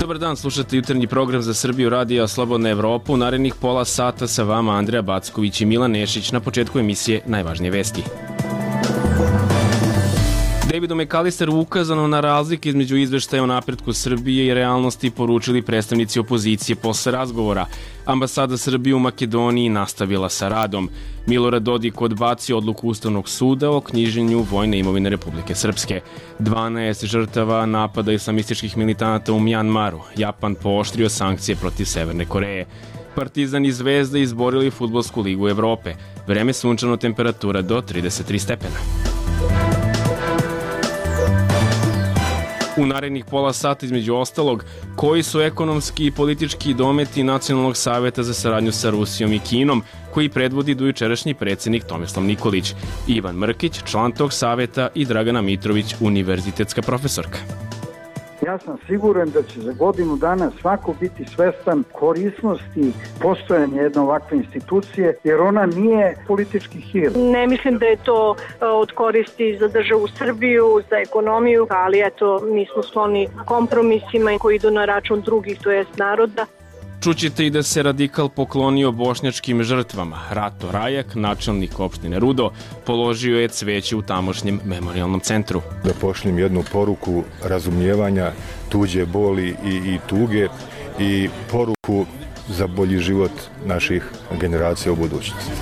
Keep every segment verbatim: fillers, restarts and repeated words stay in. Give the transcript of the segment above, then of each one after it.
Dobar dan, slušate jutarnji program za Srbiju radija Slobodna Evropa. U narednih pola sata sa vama Andreja Backović i Milan Nešić. Na početku emisije najvažnije vesti. Davidu McAllisteru ukazano na razlike između izveštaja o napretku Srbije i realnosti poručili predstavnici opozicije posle razgovora. Ambasada Srbije u Makedoniji nastavila sa radom. Milorad Dodik odbacio odluku Ustavnog suda o knjiženju vojne imovine Republike Srpske. dvanaest žrtava napada islamističkih militanata u Mjanmaru. Japan pooštrio sankcije protiv Severne Koreje. Partizan i Zvezda izborili Fudbalsku ligu Evrope. Vreme sunčano, temperatura do trideset tri stepena. U narednih pola sata, između ostalog, koji su ekonomski i politički dometi Nacionalnog saveta za saradnju sa Rusijom i Kinom, koji predvodi dojučerašnji predsednik Tomislav Nikolić, Ivan Mrkić, član tog saveta, i Dragana Mitrović, univerzitetska profesorka. Ja sam siguran da će za godinu dana svako biti svestan korisnosti postojanja jedne ovakve institucije, jer ona nije politički hir. Ne mislim da je to od koristi za državu Srbiju, za ekonomiju, ali eto, mi smo skloni kompromisima koji idu na račun drugih, to jest naroda. Čućete i da se radikal poklonio bošnjačkim žrtvama. Rato Rajak, načelnik opštine Rudo, položio je cveće u tamošnjem memorijalnom centru. Da pošljem jednu poruku razumijevanja tuđe boli i, i tuge i poruku za bolji život naših generacija u budućnosti.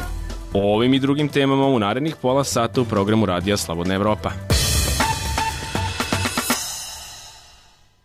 O ovim i drugim temama u narednih pola sata u programu Radija Slobodna Evropa.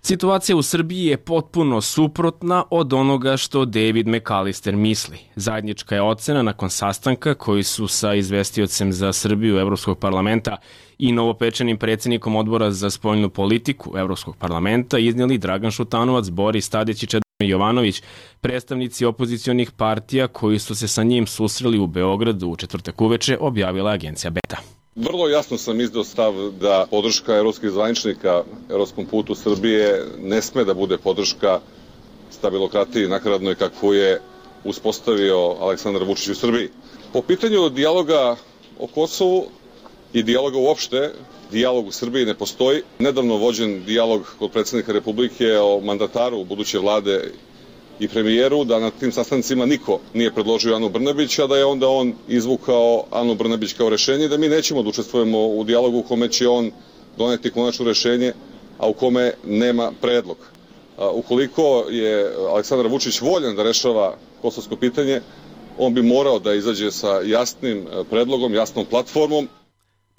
Situacija u Srbiji je potpuno suprotna od onoga što David McAllister misli. Zajednička je ocena nakon sastanka koji su sa izvestiocem za Srbiju Evropskog parlamenta i novopečenim predsjednikom odbora za spoljnu politiku Evropskog parlamenta iznijeli Dragan Šutanovac, Boris Tadić i Čedomir Jovanović, predstavnici opozicionih partija koji su se sa njim susreli u Beogradu u četvrtak uveče, objavila agencija Beta. Vrlo jasno sam izdao stav da podrška evropskih zvaničnika evropskom putu Srbije ne sme da bude podrška stabilokratiji nakaradnoj kakvu je uspostavio Aleksandar Vučić u Srbiji. Po pitanju dijaloga o Kosovu i dijaloga uopšte, dijalog u Srbiji ne postoji. Nedavno vođen dijalog kod predsjednika Republike o mandataru buduće vlade i premijeru, da na tim sastancima niko nije predložio Anu Brnabić, a da je onda on izvukao Anu Brnabić kao rešenje i da mi nećemo da učestvujemo u dijalogu u kome će on doneti konačno rešenje, a u kome nema predlog. Ukoliko je Aleksandar Vučić voljan da rešava kosovsko pitanje, on bi morao da izađe sa jasnim predlogom, jasnom platformom.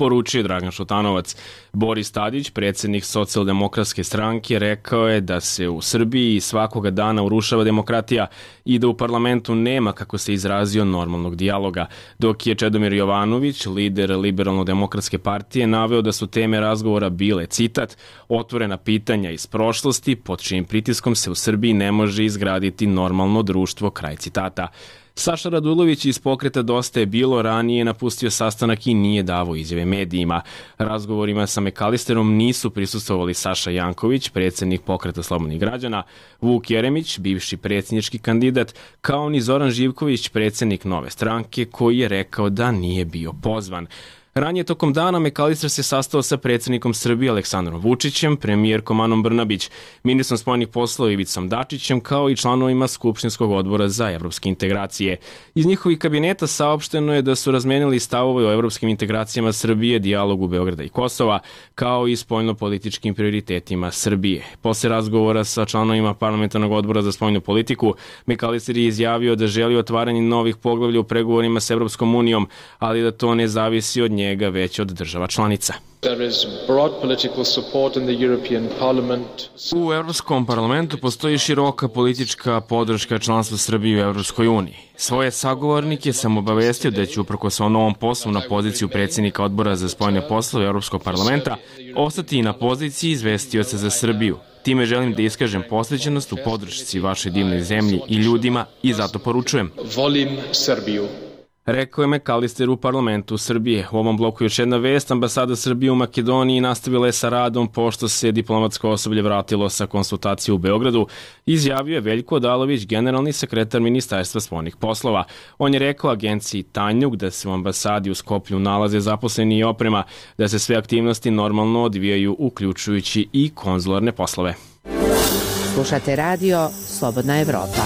Poručio Dragan Šutanovac. Boris Tadić, predsjednik Socijaldemokratske stranke, rekao je da se u Srbiji svakoga dana urušava demokratija i da u parlamentu nema, kako se izrazio, normalnog dijaloga, dok je Čedomir Jovanović, lider Liberalno-demokratske partije, naveo da su teme razgovora bile, citat, otvorena pitanja iz prošlosti pod čijim pritiskom se u Srbiji ne može izgraditi normalno društvo, kraj citata. Saša Radulović iz pokreta Dosta je bilo ranije napustio sastanak i nije davao izjave medijima. Razgovorima sa McAllisterom nisu prisustvovali Saša Janković, predsjednik pokreta Slobodnih građana, Vuk Jeremić, bivši predsjednički kandidat, kao ni Zoran Živković, predsjednik Nove stranke, koji je rekao da nije bio pozvan. Ranije tokom dana McAllister se sastao sa predsjednikom Srbije Aleksandrom Vučićem, premijerkom Anom Brnabić, ministrom spoljnih poslova Ivicom Dačićem, kao i članovima Skupštinskog odbora za evropske integracije. Iz njihovih kabineta saopšteno je da su razmenili stavove o evropskim integracijama Srbije, dijalogu Beograda i Kosova, kao i spoljno-političkim prioritetima Srbije. Posle razgovora sa članovima parlamentarnog odbora za spoljnu politiku, McAllister je izjavio da želi otvaranje novih poglavlja u pregovorima s Evropskom unijom, ali da to ne zavisi od njega, već od država članica. U Evropskom parlamentu postoji široka politička podrška članstva Srbije u Evropskoj uniji. Svoje sagovornike sam obavestio da će uprkos svom novom poslu na poziciju predsjednika odbora za spoljne poslove Evropskog parlamenta ostati i na poziciji izvestioca za Srbiju. Time želim da iskažem posvećenost u podršci vašoj divnoj zemlji i ljudima i zato poručujem. Volim Srbiju. Rekao je McAllister u parlamentu Srbije. U ovom bloku još jedna vest. Ambasada Srbije u Makedoniji nastavila je sa radom pošto se diplomatsko osoblje vratilo sa konsultacije u Beogradu, izjavio je Veljko Odalović, generalni sekretar Ministarstva spoljnih poslova. On je rekao agenciji Tanjug da se u ambasadi u Skoplju nalaze zaposleni i oprema, da se sve aktivnosti normalno odvijaju, uključujući i konzularne poslove. Slušate radio Slobodna Evropa.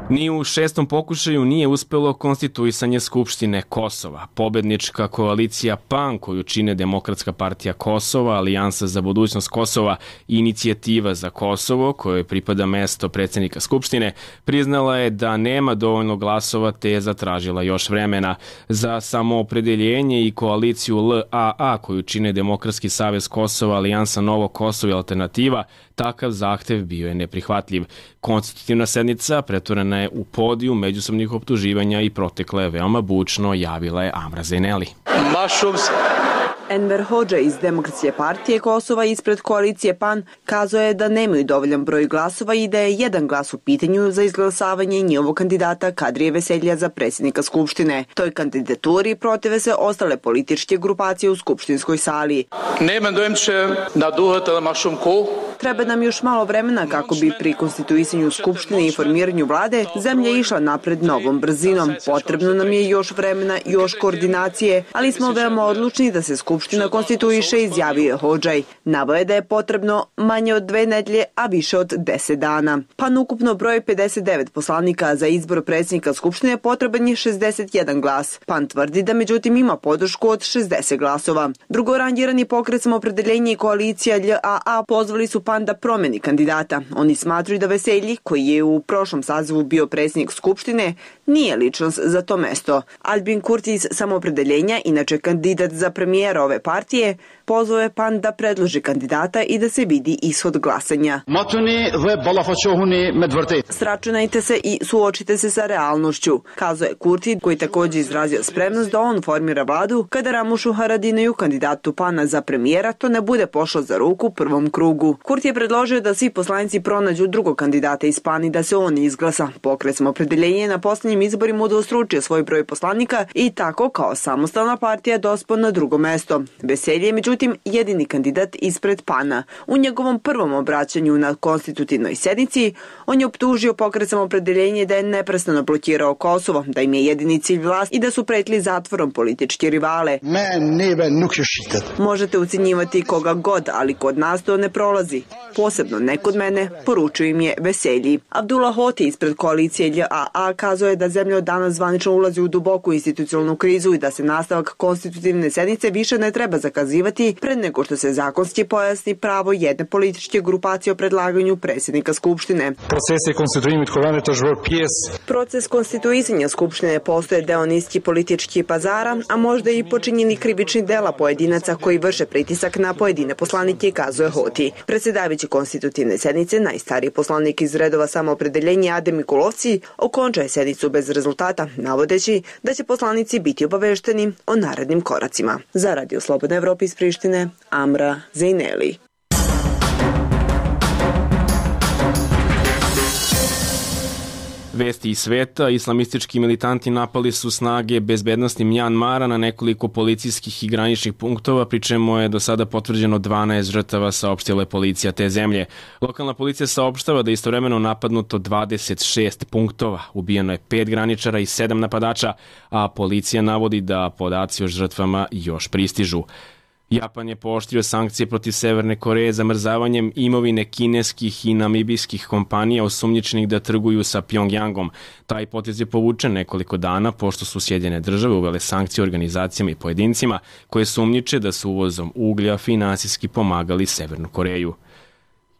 Ni u šestom pokušaju nije uspelo konstituisanje Skupštine Kosova. Pobednička koalicija P A N, koju čine Demokratska partija Kosova, Alijansa za budućnost Kosova i Inicijativa za Kosovo, kojoj pripada mesto predsjednika Skupštine, priznala je da nema dovoljno glasova te je zatražila još vremena. Za samoopredeljenje i koaliciju L A A, koju čine Demokratski savez Kosova, Alijansa Novo Kosovo i Alternativa, takav zahtev bio je neprihvatljiv. Konstitutivna sednica pretvorena je u podijum međusobnih optuživanja i protekla je veoma bučno, javila je Amra Zaineli. Enver Hodža iz Demokratske partije Kosova ispred koalicije P A N kazao je da nemaju dovoljan broj glasova i da je jedan glas u pitanju za izglasavanje njihovog kandidata Kadrije Veselja za predsjednika Skupštine. Toj kandidaturi protive se ostale političke grupacije u skupštinskoj sali. Treba nam još malo vremena kako bi pri konstituisanju Skupštine i formiranju vlade zemlja išla napred novom brzinom. Potrebno nam je još vremena, još koordinacije, ali smo veoma odlučni da se Skupština konstituiše, izjavio je Hodžaj. Naveo je da je potrebno manje od dve nedelje, a više od deset dana. P A N ukupno broj pedeset devet poslanika, za izbor predsjednika Skupštine potreban je šezdeset jedan glas. P A N tvrdi da međutim ima podršku od šezdeset glasova. Drugorangirani pokret Samoopredeljenje i koalicija L A A pozvali su P A N da promeni kandidata. Oni smatruju da Veselji, koji je u prošlom sazivu bio predsjednik Skupštine, nije ličnost za to mesto. Albin Kurti iz Samoopredeljenja, inače kandidat za premijera ove partije, pozvao je P A N da predloži kandidata i da se vidi ishod glasanja. Sračunajte se i suočite se sa realnošću, kazao je Kurti, koji također izrazio spremnost da on formira vladu kada Ramušu Haradinaju, kandidatu P A N-a za premijera, to ne bude pošlo za ruku u prvom krugu. Kurti je predložio da svi poslanici pronađu drugog kandidata iz P A N i da se on izglasa. Pokret Samoopredeljenje na posljednjim izborima udvostručio svoj broj poslanika i tako kao samostalna partija dospao na drugo mesto. Veselje je međutim jedini kandidat ispred P A N-a. U njegovom prvom obraćanju na konstitutivnoj sednici on je optužio pokret Samoopredeljenje da je neprestano blokirao Kosovo, da im je jedini cilj vlast i da su pretili zatvorom političke rivale. Možete ucenjivati koga god, ali kod nas to ne prolazi. Posebno ne kod mene, poručuju im je Veselji. Abdullah Hoti ispred koalicije L A A kazao je da zemlja od danas zvanično ulazi u duboku institucionalnu krizu i da se nastavak konstitutivne sednice više ne treba zakazivati pred nego što se zakonski pojasni pravo jedne političke grupacije o predlaganju predsjednika Skupštine. Proces konstituisanja Skupštine postoje deo niski politički pazara, a možda i počinjeni krivični dela pojedinaca koji vrše pritisak na pojedine poslanike, kazuje Hoti. Predsjedavajući konstitutivne sednice, najstariji poslanik iz redova Samoopredeljenja Adem Mikulovci okončao je sednicu bez rezultata, navodeći da će poslanici biti obavešteni o narednim koracima. Za Radio Slobodna Evropa iz Prištine, Amra Zaineli. Vesti iz sveta, islamistički militanti napali su snage bezbednosti Mjanmara na nekoliko policijskih i graničnih punktova, pri čemu je do sada potvrđeno dvanaest žrtava, saopštila je policija te zemlje. Lokalna policija saopštava da je istovremeno napadnuto dvadeset šest punktova, ubijeno je pet graničara i sedam napadača, a policija navodi da podaci o žrtvama još pristižu. Japan je pooštrio sankcije protiv Severne Koreje zamrzavanjem imovine kineskih i namibijskih kompanija osumnjičenih da trguju sa Pjongjangom. Taj potez je povučen nekoliko dana pošto su Sjedinjene države uvele sankcije organizacijama i pojedincima koje sumnjiče da su uvozom uglja finansijski pomagali Severnu Koreju.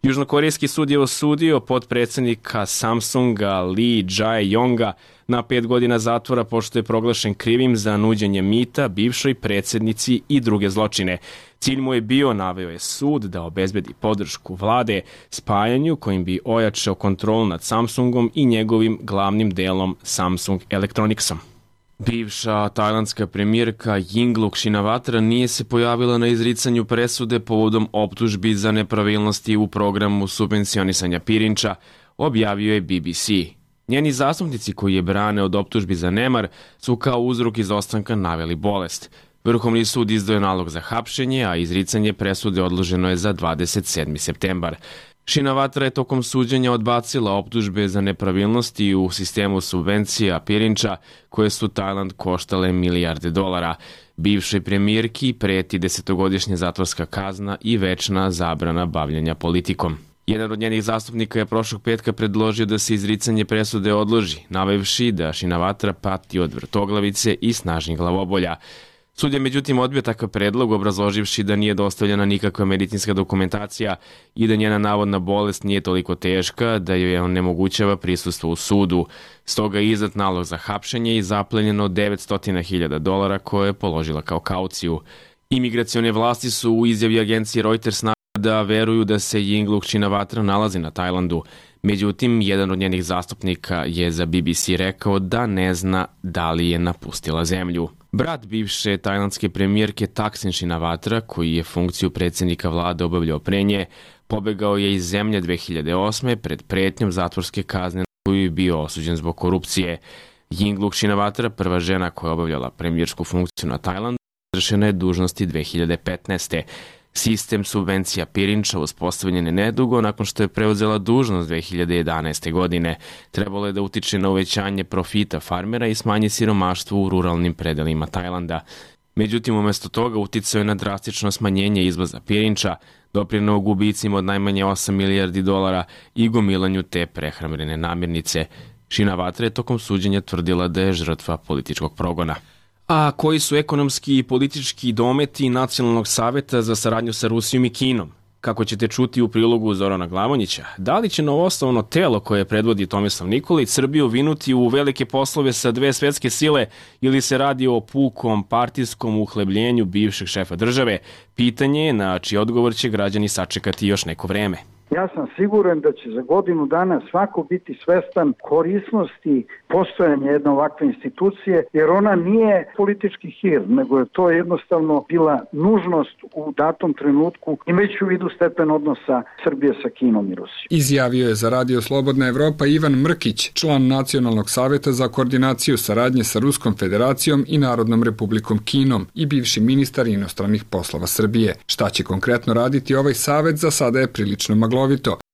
Južnokorejski sud je osudio potpredsjednika Samsunga Lee Jae-yonga na pet godina zatvora pošto je proglašen krivim za nuđenje mita bivšoj predsjednici i druge zločine. Cilj mu je bio, naveo je sud, da obezbedi podršku vlade spajanju kojim bi ojačao kontrolu nad Samsungom i njegovim glavnim delom Samsung Electronicsom. Bivša tajlandska premijerka Yingluck Shinawatra nije se pojavila na izricanju presude povodom optužbi za nepravilnosti u programu subvencionisanja pirinča, objavio je B B C. Njeni zastupnici koji je brane od optužbi za nemar su kao uzrok izostanka naveli bolest. Vrhovni sud izdao je nalog za hapšenje, a izricanje presude odloženo je za dvadeset sedmi septembar. Shinawatra je tokom suđenja odbacila optužbe za nepravilnosti u sistemu subvencija Pirinča koje su Tajland koštale milijarde dolara. Bivšoj premijerki preti desetogodišnja zatvorska kazna i večna zabrana bavljenja politikom. Jedan od njenih zastupnika je prošlog petka predložio da se izricanje presude odloži, navevši da Shinawatra pati od vrtoglavice i snažnih glavobolja. Sud je međutim odbio takav predlog, obrazloživši da nije dostavljena nikakva medicinska dokumentacija i da njena navodna bolest nije toliko teška da joj onemogućava prisustvo u sudu. Stoga je izdat nalog za hapšenje i zaplenjeno devetsto hiljada dolara koje je položila kao kauciju. Imigracione vlasti su u izjavi agencije Reuters da veruju da se Yingluck Shinawatra nalazi na Tajlandu. Međutim, jedan od njenih zastupnika je za B B C rekao da ne zna da li je napustila zemlju. Brat bivše tajlandske premijerke Thaksin Shinawatra, koji je funkciju predsjednika vlade obavljao pre nje, pobegao je iz zemlje dve hiljade osme pred pretnjom zatvorske kazne na koju je bio osuđen zbog korupcije. Yingluck Shinawatra, prva žena koja je obavljala premijersku funkciju na Tajlandu, razrešena je dužnosti dve hiljade petnaeste. Sistem subvencija Pirinča uspostavljen je nedugo nakon što je preuzela dužnost dve hiljade jedanaeste. godine. Trebalo je da utiče na uvećanje profita farmera i smanji siromaštvo u ruralnim predelima Tajlanda. Međutim, umesto toga uticao je na drastično smanjenje izvoza Pirinča, doprineo gubicima od najmanje osam milijardi dolara i gomilanju te prehrambene namirnice. Shinawatra je tokom suđenja tvrdila da je žrtva političkog progona. A koji su ekonomski i politički dometi Nacionalnog saveta za saradnju sa Rusijom i Kinom? Kako ćete čuti u prilogu Zorana Glavonjića, da li će novoosnovano telo koje predvodi Tomislav Nikolić Srbiju vinuti u velike poslove sa dve svetske sile ili se radi o pukom partijskom uhlebljenju bivšeg šefa države? Pitanje je na čiji odgovor će građani sačekati još neko vreme. Ja sam siguran da će za godinu dana svako biti svestan korisnosti postojanja jedne ovakve institucije, jer ona nije politički hir, nego je to jednostavno bila nužnost u datom trenutku, imajući u vidu stepen odnosa Srbije sa Kinom i Rusijom. Izjavio je za Radio Slobodna Evropa Ivan Mrkić, član Nacionalnog saveta za koordinaciju saradnje sa Ruskom federacijom i Narodnom republikom Kinom i bivši ministar inostranih poslova Srbije. Šta će konkretno raditi ovaj savet, za sada je prilično maglovito.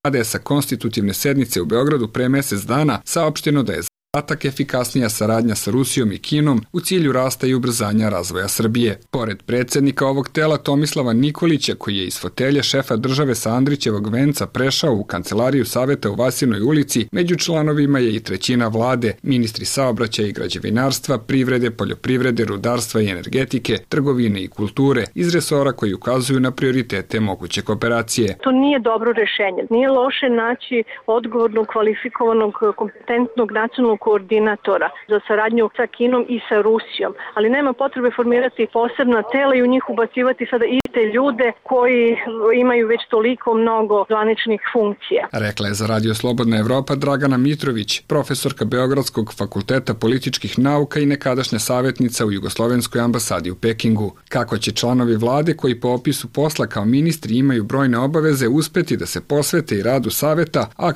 Kada je sa konstitutivne sednice u Beogradu pre mesec dana saopšteno da je zadatak efikasnija saradnja sa Rusijom i Kinom u cilju rasta i ubrzanja razvoja Srbije. Pored predsjednika ovog tela Tomislava Nikolića, koji je iz fotelje šefa države sa Andrićevog venca prešao u kancelariju saveta u Vasinoj ulici, među članovima je i trećina vlade, ministri saobraćaja i građevinarstva, privrede, poljoprivrede, rudarstva i energetike, trgovine i kulture, iz resora koji ukazuju na prioritete moguće kooperacije. To nije dobro rešenje. Nije loše naći odgovornog, kvalifikovanog, kompetentnog nacionalnog koordinatora za saradnju sa Kinom i sa Rusijom, ali nema potrebe formirati posebna tela i u njih ubacivati sada iste ljude koji imaju već toliko mnogo zvaničnih funkcija. Rekla je za Radio Slobodna Evropa Dragana Mitrović, profesorka Beogradskog fakulteta političkih nauka i nekadašnja savjetnica u Jugoslovenskoj ambasadi u Pekingu. Kako će članovi vlade koji po opisu posla kao ministri imaju brojne obaveze uspeti da se posvete i radu saveta, a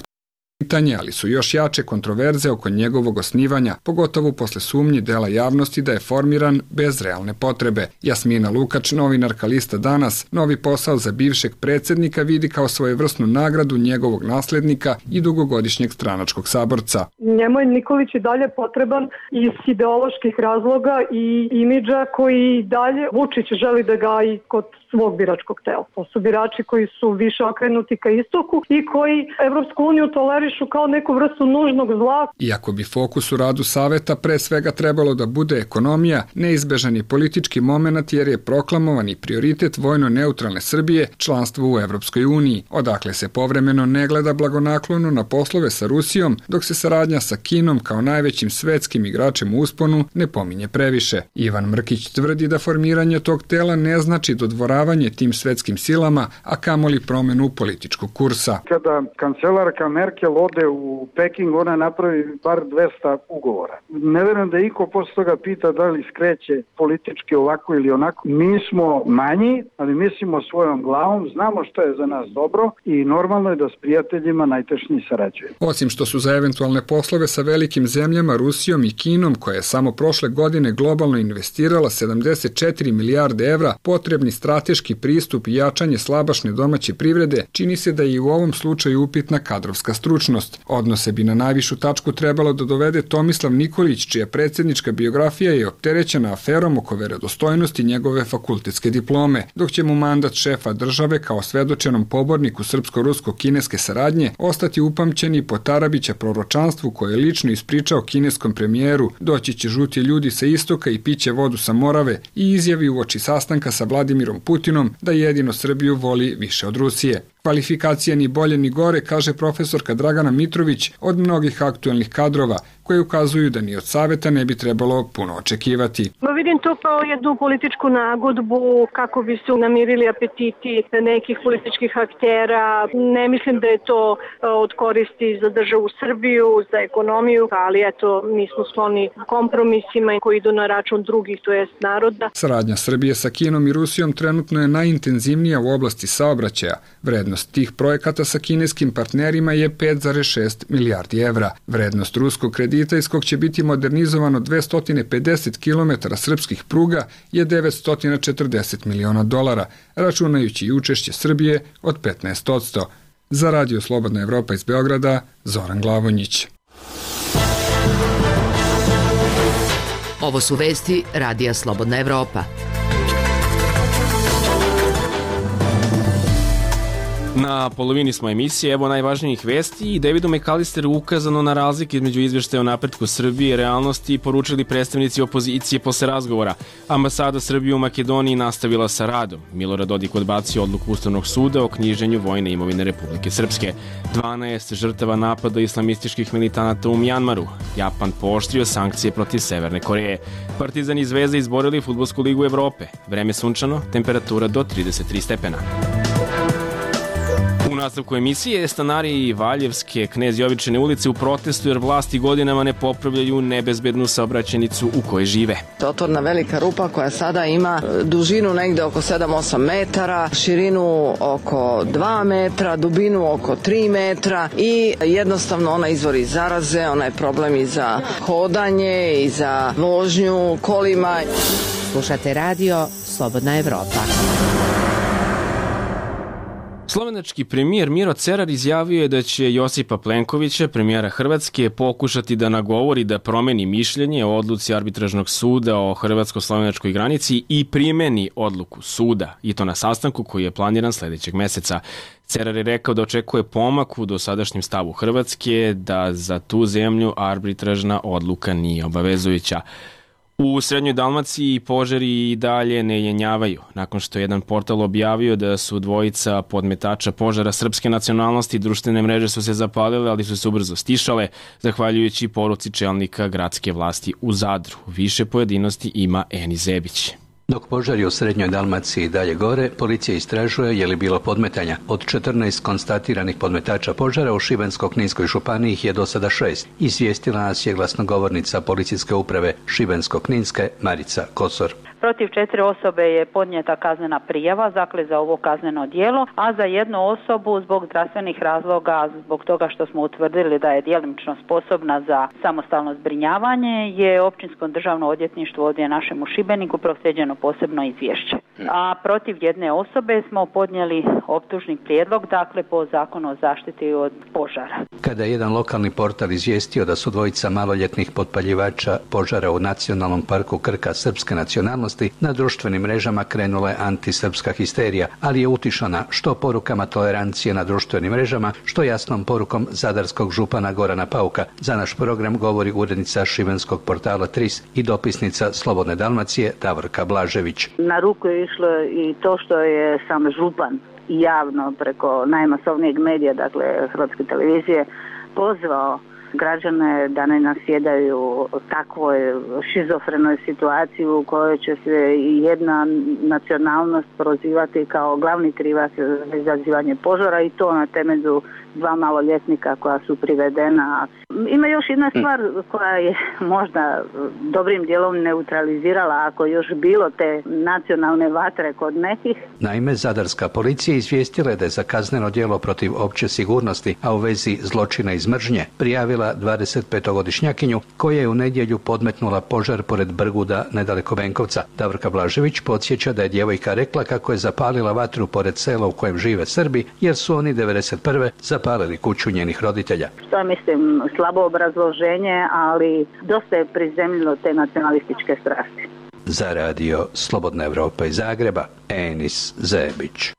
pitanje, ali su još jače kontroverze oko njegovog osnivanja, pogotovo posle sumnji dela javnosti da je formiran bez realne potrebe. Jasmina Lukač, novinarka lista Danas, novi posao za bivšeg predsjednika vidi kao svojevrsnu nagradu njegovog naslednika i dugogodišnjeg stranačkog saborca. Njemu je Nikolić i dalje potreban iz ideoloških razloga i imidža koji dalje Vučić želi da gaji kod svog biračkog tela. To su birači koji su više okrenuti ka istoku i koji Evropsku uniju tolerišu kao neku vrstu nužnog zla. Iako bi fokus u radu saveta pre svega trebalo da bude ekonomija, neizbežan je politički moment jer je proklamovani prioritet vojno-neutralne Srbije članstvo u Evropskoj uniji, odakle se povremeno ne gleda blagonaklono na poslove sa Rusijom, dok se saradnja sa Kinom kao najvećim svetskim igračem u usponu ne pominje previše. Ivan Mrkić tvrdi da formiranje tog tela ne znači dodvoravanje tim svetskim silama, a kamoli promenu političkog kursa. Kada kancelarka Merkel ode u Peking, ona napravi bar dvesta ugovora. Ne verujem da iko posle toga pita da li skreće politički ovako ili onako. Mi smo manji, ali mislimo svojom glavom, znamo što je za nas dobro i normalno je da s prijateljima najtešnji sarađujemo. Osim što su za eventualne poslove sa velikim zemljama Rusijom i Kinom, koja je samo prošle godine globalno investirala sedamdeset četiri milijarde evra, potrebni strateški strateški pristup i jačanje slabašne domaće privrede, čini se da je i u ovom slučaju upitna kadrovska stručnost. Odnose bi na najvišu tačku trebalo da dovede Tomislav Nikolić, čija predsjednička biografija je opterećena aferom oko verodostojnosti njegove fakultetske diplome, dok će mu mandat šefa države kao svedočenom poborniku srpsko-rusko-kineske saradnje ostati upamćeni po Tarabića proročanstvu koje je lično ispričao kineskom premijeru, doći će žuti ljudi sa istoka i piće vodu sa Morave, i izjavi uoči sastanka sa Vladimirom Putinom da jedino Srbiju voli više od Rusije. Kvalifikacija ni bolje ni gore, kaže profesorka Dragana Mitrović, od mnogih aktuelnih kadrova, koje ukazuju da ni od saveta ne bi trebalo puno očekivati. Ma vidim to kao jednu političku nagodbu kako bi se namirili apetiti nekih političkih aktera. Ne mislim da je to od koristi za državu Srbiju, za ekonomiju, ali eto, mi smo skloni kompromisima koji idu na račun drugih, to jest naroda. Saradnja Srbije sa Kinom i Rusijom trenutno je najintenzivnija u oblasti saobraćaja. Vrednost tih projekata sa kineskim partnerima je pet zarez šest milijardi evra. Vrednost ruskog kredita iz kog će biti modernizovano dvesta pedeset kilometara srpskih pruga je devetsto četrdeset miliona dolara, računajući i učešće Srbije od petnaest posto. Za Radio Slobodna Evropa iz Beograda, Zoran Glavonjić. Ovo su vesti Radija Slobodna Evropa. Na polovini smo emisije, evo najvažnijih vesti. Davidu McAllisteru ukazano na razlike između izveštaja o napretku Srbije i realnosti poručili predstavnici opozicije posle razgovora. Ambasada Srbije u Makedoniji nastavila sa radom. Milorad Dodik odbacio odluku Ustavnog suda o knjiženju vojne imovine Republike Srpske. dvanaest žrtava napada islamističkih militanata u Mjanmaru. Japan pooštrio sankcije protiv Severne Koreje. Partizan i Zvezda izborili Fudbalsku ligu Evrope. Vreme sunčano, temperatura do trideset tri stepena. U nastavku emisije stanari Valjevske Knez Jovičine ulice u protestu jer vlasti godinama ne popravljaju nebezbednu saobraćajnicu u kojoj žive. Otvorna velika rupa koja sada ima dužinu negde oko sedam osam metara, širinu oko dva metra, dubinu oko tri metra i jednostavno ona izvori zaraze, ona je problem i za hodanje i za vožnju kolima. Slušate radio Slobodna Evropa. Slovenački premijer Miro Cerar izjavio je da će Josipa Plenkovića, premijera Hrvatske, pokušati da nagovori da promeni mišljenje o odluci arbitražnog suda o hrvatsko-slovenačkoj granici i primeni odluku suda, i to na sastanku koji je planiran sledećeg meseca. Cerar je rekao da očekuje pomak u dosadašnjem stavu Hrvatske, da za tu zemlju arbitražna odluka nije obavezujuća. U Srednjoj Dalmaciji požari i dalje ne jenjavaju, nakon što je jedan portal objavio da su dvojica podmetača požara srpske nacionalnosti, društvene mreže su se zapalile, ali su se ubrzo stišale, zahvaljujući poruci čelnika gradske vlasti u Zadru. Više pojedinosti ima Eni Zebić. Dok požari u Srednjoj Dalmaciji dalje gore, policija istražuje je li bilo podmetanja. Od četrnaest konstatiranih podmetača požara u Šibensko-kninskoj županiji ih je do sada šest. Izvijestila nas je glasnogovornica policijske uprave Šibensko-kninske Marica Kosor. Protiv četiri osobe je podnijeta kaznena prijava, dakle za ovo kazneno djelo, a za jednu osobu zbog zdravstvenih razloga, zbog toga što smo utvrdili da je djelomično sposobna za samostalno zbrinjavanje, je Općinsko državno odvjetništvo ovdje našem u Šibeniku proslijeđeno posebno izvješće. A protiv jedne osobe smo podnijeli optužni prijedlog, dakle po zakonu o zaštiti od požara. Kada je jedan lokalni portal izvijestio da su dvojica maloljetnih potpaljivača požara u Nacionalnom parku Krka srpske nacionalnosti, na društvenim mrežama krenula je antisrpska histerija, ali je utišana što porukama tolerancije na društvenim mrežama, što jasnom porukom zadarskog župana Gorana Pauka. Za naš program govori urednica šibenskog portala Tris i dopisnica Slobodne Dalmacije Davorka Blažević. Na ruku je išlo i to što je sam župan javno preko najmasovnijeg medija, dakle Hrvatske televizije, pozvao građane da ne nasjedaju takvoj šizofrenoj situaciji u kojoj će se jedna nacionalnost prozivati kao glavni krivac za izazivanje požara, i to na temelju dva maloljetnika koja su privedena. Ima još jedna stvar koja je možda dobrim dijelom neutralizirala ako još bilo te nacionalne vatre kod nekih. Naime, zadarska policija izvijestila je da je za kazneno djelo protiv opće sigurnosti, a u vezi zločina iz mržnje, prijavila dvadesetpetogodišnjakinju koja je u nedjelju podmetnula požar pored Brguda nedaleko Benkovca. Davorka Blažević podsjeća da je djevojka rekla kako je zapalila vatru pored sela u kojem žive Srbi, jer su oni devedeset prve zapalili kuću njenih roditelja. Što mislim, slabo obrazloženje, ali dosta je prizemljilo te nacionalističke strasti. Za radio Slobodna Evropa iz Zagreba, Enis Zebić.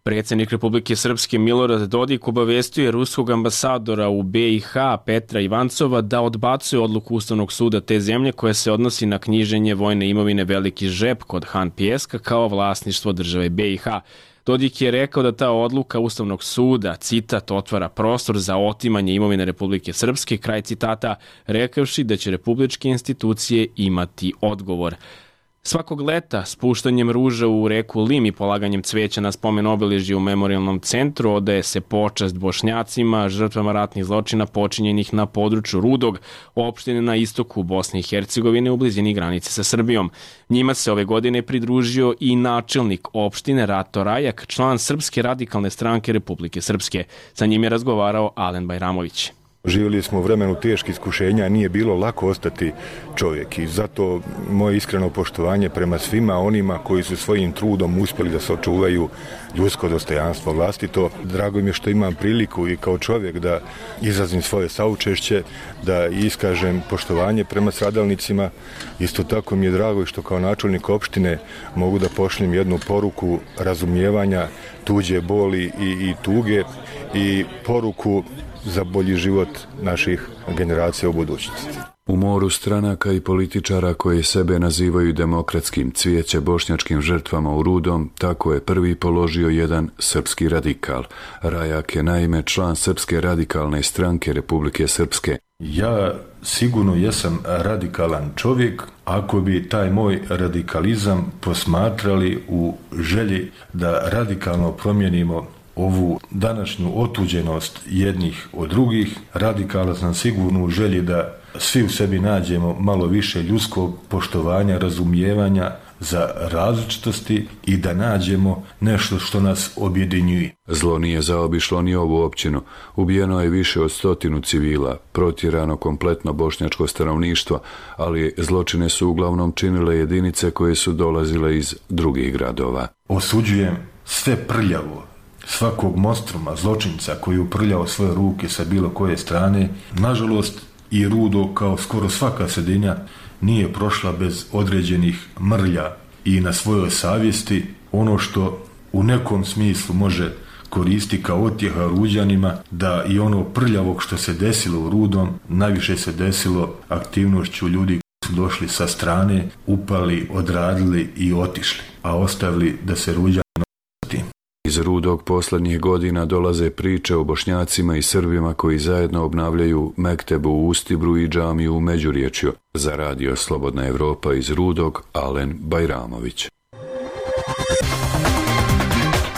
Predsjednik Republike Srpske Milorad Dodik obavestio je ruskog ambasadora u B i H Petra Ivancova da odbacuje odluku Ustavnog suda te zemlje koja se odnosi na knjiženje vojne imovine Veliki Žep kod Han Pjeska kao vlasništvo države B i H. Dodik je rekao da ta odluka Ustavnog suda, citat, otvara prostor za otimanje imovine Republike Srpske, kraj citata, rekavši da će republičke institucije imati odgovor. Svakog leta spuštanjem ruža u reku Lim i polaganjem cveća na spomen obeležje u memorijalnom centru odaje se počast Bošnjacima, žrtvama ratnih zločina počinjenih na području Rudog, opštine na istoku Bosne i Hercegovine u blizini granice sa Srbijom. Njima se ove godine pridružio i načelnik opštine Rato Rajak, član Srpske radikalne stranke Republike Srpske. Sa njim je razgovarao Alen Bajramović. Živjeli smo u vremenu teških iskušenja, nije bilo lako ostati čovjek i zato moje iskreno poštovanje prema svima onima koji su svojim trudom uspjeli da se očuvaju ljudsko dostojanstvo vlastito. Drago mi je što imam priliku i kao čovjek da izrazim svoje saučešće, da iskažem poštovanje prema stradalnicima. Isto tako mi je drago što kao načelnik opštine mogu da pošljem jednu poruku razumijevanja tuđe boli i, i tuge i poruku za bolji život naših generacija u budućnosti. U moru stranaka i političara koji sebe nazivaju demokratskim cvijeće bošnjačkim žrtvama u Rudom, tako je prvi položio jedan srpski radikal. Rajak je naime član Srpske radikalne stranke Republike Srpske. Ja sigurno jesam radikalan čovjek ako bi taj moj radikalizam posmatrali u želji da radikalno promijenimo ovu današnju otuđenost jednih od drugih. Radikala sam sigurno u želji da svi u sebi nađemo malo više ljudskog poštovanja, razumijevanja za različitosti i da nađemo nešto što nas objedinjuje. Zlo nije zaobišlo ni ovu općinu. Ubijeno je više od stotinu civila, protjerano kompletno bošnjačko stanovništvo, ali zločine su uglavnom činile jedinice koje su dolazile iz drugih gradova. Osuđujem sve prljavo, svakog monstruma, zločinca koji uprljao svoje ruke sa bilo koje strane. Nažalost, i Rudo, kao skoro svaka sredina, nije prošla bez određenih mrlja i na svojoj savjesti. Ono što u nekom smislu može koristi kao otjeha Ruđanima, da i ono prljavog što se desilo u Rudom, najviše se desilo aktivnošću ljudi koji su došli sa strane, upali, odradili i otišli, a ostavili da se Ruđani tim. Iz Rudog posljednjih godina dolaze priče o Bošnjacima i Srbima koji zajedno obnavljaju mektebu u Ustibru i džamiju u Međurječju. Za radio Slobodna Evropa iz Rudog, Alen Bajramović.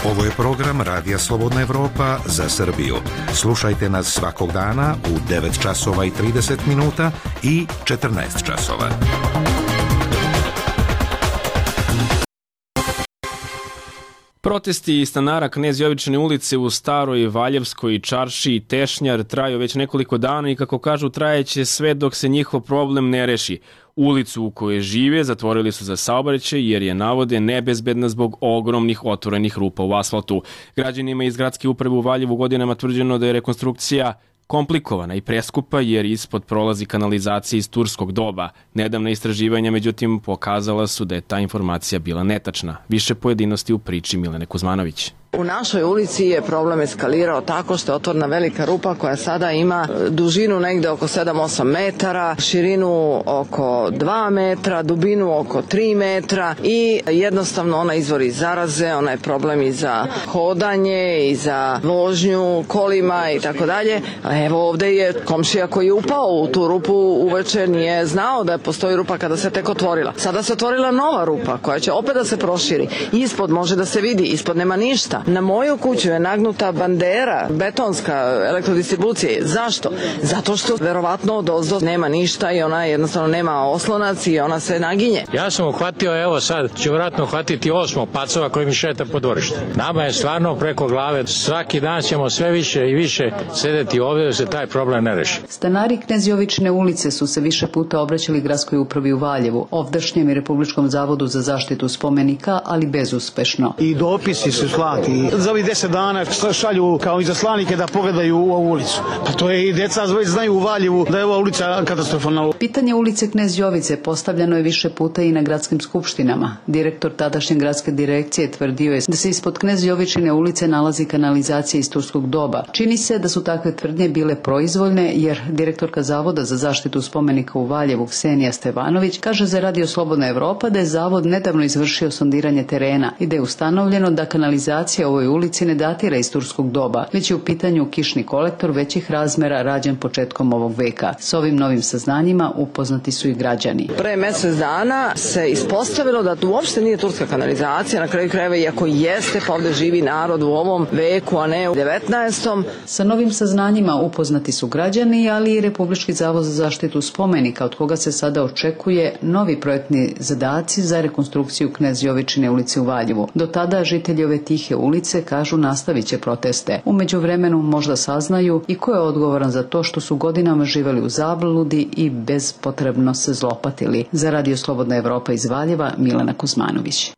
Ovo je program Radija Slobodna Evropa za Srbiju. Slušajte nas svakog dana u devet časova i trideset minuta i četrnaest časova. Protesti stanara Knez Jovične ulice u Staroj Valjevskoj čaršiji Tešnjar traju već nekoliko dana i kako kažu trajeće sve dok se njihov problem ne reši. Ulicu u kojoj žive zatvorili su za saobraćaj jer je navode nebezbedna zbog ogromnih otvorenih rupa u asfaltu. Građanima iz gradske uprave u Valjevu godinama tvrđeno da je rekonstrukcija komplikovana i preskupa jer ispod prolazi kanalizacija iz turskog doba. Nedavna istraživanja, međutim, pokazala su da je ta informacija bila netačna. Više pojedinosti u priči Milene Kuzmanović. U našoj ulici je problem eskalirao tako što je otvorena velika rupa koja sada ima dužinu negde oko sedam osam metara, širinu oko dva metra, dubinu oko tri metra i jednostavno ona izvori zaraze, ona je problem i za hodanje i za vožnju kolima i tako dalje. Evo ovde je komšija koji je upao u tu rupu uveče, nije znao da postoji rupa kada se tek otvorila. Sada se otvorila nova rupa koja će opet da se proširi. Ispod može da se vidi, ispod nema ništa. kuća. Na moju kuću je nagnuta bandera, betonska elektrodistribucije. Zašto? Zato što verovatno od ozdo nema ništa i ona jednostavno nema oslonac i ona se naginje. Ja sam uhvatio, evo sad ću vratno uhvatiti osmo pacova koji mi šeta po dvorištu. Nama je stvarno preko glave. Svaki dan ćemo sve više i više sedeti ovdje da se taj problem ne reši. Stanari Knezjovićne ulice su se više puta obraćali gradskoj upravi u Valjevu, ovdašnjem i Republičkom zavodu za zaštitu spomenika, ali bezuspešno. I dopisi su slati. Za ovih deset dana šalju kao izaslanike da pogledaju u ovu ulicu. Pa to je i deca već znaju u Valjevu da je ova ulica katastrofalna. Pitanje ulice Knezjovice postavljano je više puta i na gradskim skupštinama. Direktor tadašnje gradske direkcije tvrdio je da se ispod Knezjovićine ulice nalazi kanalizacija iz turskog doba. Čini se da su takve tvrdnje bile proizvoljne, jer direktorka Zavoda za zaštitu spomenika u Valjevu Ksenija Stevanović kaže za Radio Slobodna Evropa da je zavod nedavno izvršio sondiranje terena i da je ustanovljeno da kanalizacija u ovoj ulici ne datira iz turskog doba, već je u pitanju kišni kolektor većih razmera rađen početkom ovog veka. S ovim novim saznanjima upoznati su i građani. Pre mjesec dana se ispostavilo da to uopšte nije turska kanalizacija, na kraju krajeva iako jeste, pa ovde živi narod u ovom veku, a ne u devetnaestom. Sa novim saznanjima upoznati su građani, ali i Republički zavod za zaštitu spomenika, od koga se sada očekuje novi projektni zadaci za rekonstrukciju Knezjovićine ulice u Valjevu. Do tada žitelji ove tihe ulice kažu nastavit će proteste. U međuvremenu možda saznaju i ko je odgovoran za to što su godinama živeli u zabludi i bezpotrebno se zlopatili. Za Radio Slobodna Evropa iz Valjeva, Milena Kuzmanović.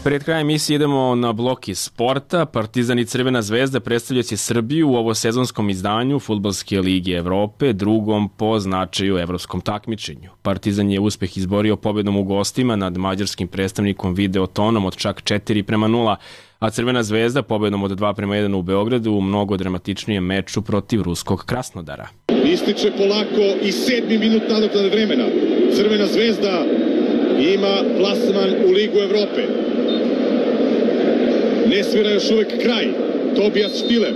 Pred krajem emisije idemo na blok iz sporta. Partizan i Crvena zvezda predstavljaće Srbiju u ovosezonskom izdanju Fudbalske lige Evrope, drugom po značaju evropskom takmičenju. Partizan je uspeh izborio pobedom u gostima nad mađarskim predstavnikom Videotonom od čak četiri prema nula, a Crvena zvezda pobedom od dva prema jedan u Beogradu u mnogo dramatičnijem meču protiv ruskog Krasnodara. Ističe polako i sedmi minut nadoknade vremena. Crvena zvezda ima plasman u Ligu Evrope. Ne svira još uvek kraj. Tobijas Štiler.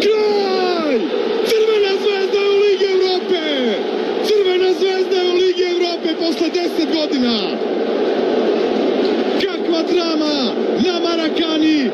Kraj! Crvena zvezda je u Ligi Evrope! Crvena zvezda je u Ligi Evrope posle deset godina! Kakva drama na Marakani!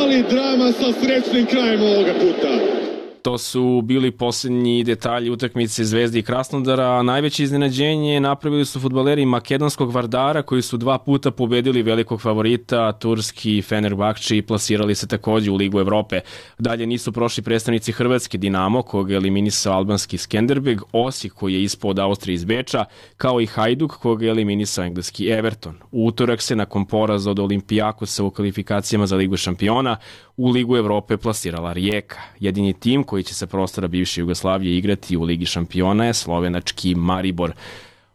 Ali drama sa srećnim krajem ovoga puta. To su bili posljednji detalji utakmice Zvezde i Krasnodara, a najveće iznenađenje napravili su fudbaleri makedonskog Vardara koji su dva puta pobedili velikog favorita, turski Fenerbahče, i plasirali se takođe u Ligu Evrope. Dalje nisu prošli predstavnici Hrvatske Dinamo, kog je eliminisao albanski Skenderbeg, Osijek koji je ispod Austrije iz Beča, kao i Hajduk kog je eliminisao engleski Everton. U utorak se nakon poraza od Olimpijakosa u kvalifikacijama za Ligu šampiona u Ligu Evrope plasirala Rijeka. Jedini tim koji će sa prostora bivše Jugoslavije igrati u Ligi šampiona je slovenački Maribor.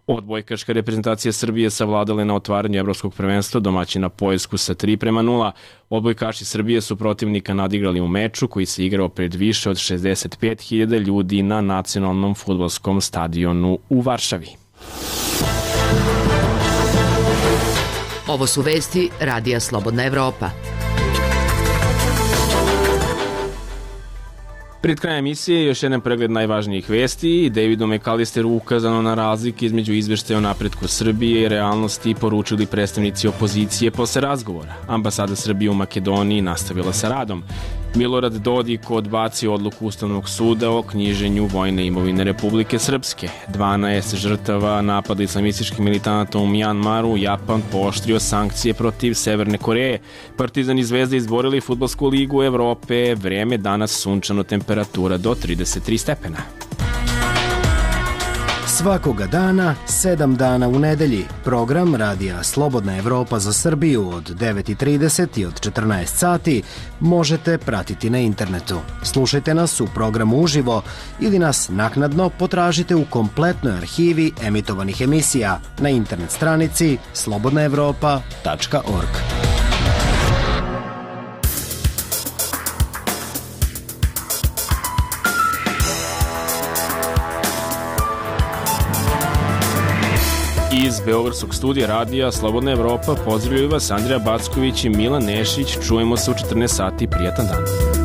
Odbojkaška reprezentacija Srbije savladala na otvaranju evropskog prvenstva domaćina Poljsku sa tri prema nula. Odbojkaši Srbije su protivnika nadigrali u meču koji se igrao pred više od šezdeset pet hiljada ljudi na nacionalnom fudbalskom stadionu u Varšavi. Ovo su vesti Radija Slobodna Evropa. Pred krajem emisije još jedan pregled najvažnijih vesti. Davidu McAllisteru ukazano na razlike između izveštaja o napretku Srbije i realnosti poručili predstavnici opozicije posle razgovora. Ambasada Srbije u Makedoniji nastavila sa radom. Milorad Dodik odbacio odluku Ustavnog suda o knjiženju vojne imovine Republike Srpske. dvanaest žrtava napada islamističkih militanata u Mjanmaru, Japan pooštrio sankcije protiv Severne Koreje. Partizan i Zvezda izborili Fudbalsku ligu Evrope, vreme danas sunčano, temperatura do trideset tri stepena. Svakoga dana, sedam dana u nedelji. Program Radija Slobodna Evropa za Srbiju od devet i trideset i od četrnaest sati možete pratiti na internetu. Slušajte nas u programu uživo ili nas naknadno potražite u kompletnoj arhivi emitovanih emisija na internet stranici slobodna evropa tačka org. Iz Beogradskog studija Radija Slobodna Evropa pozdravljaju vas Andrija Backović i Milan Nešić. Čujemo se u četrnaest sati. Prijatan dan.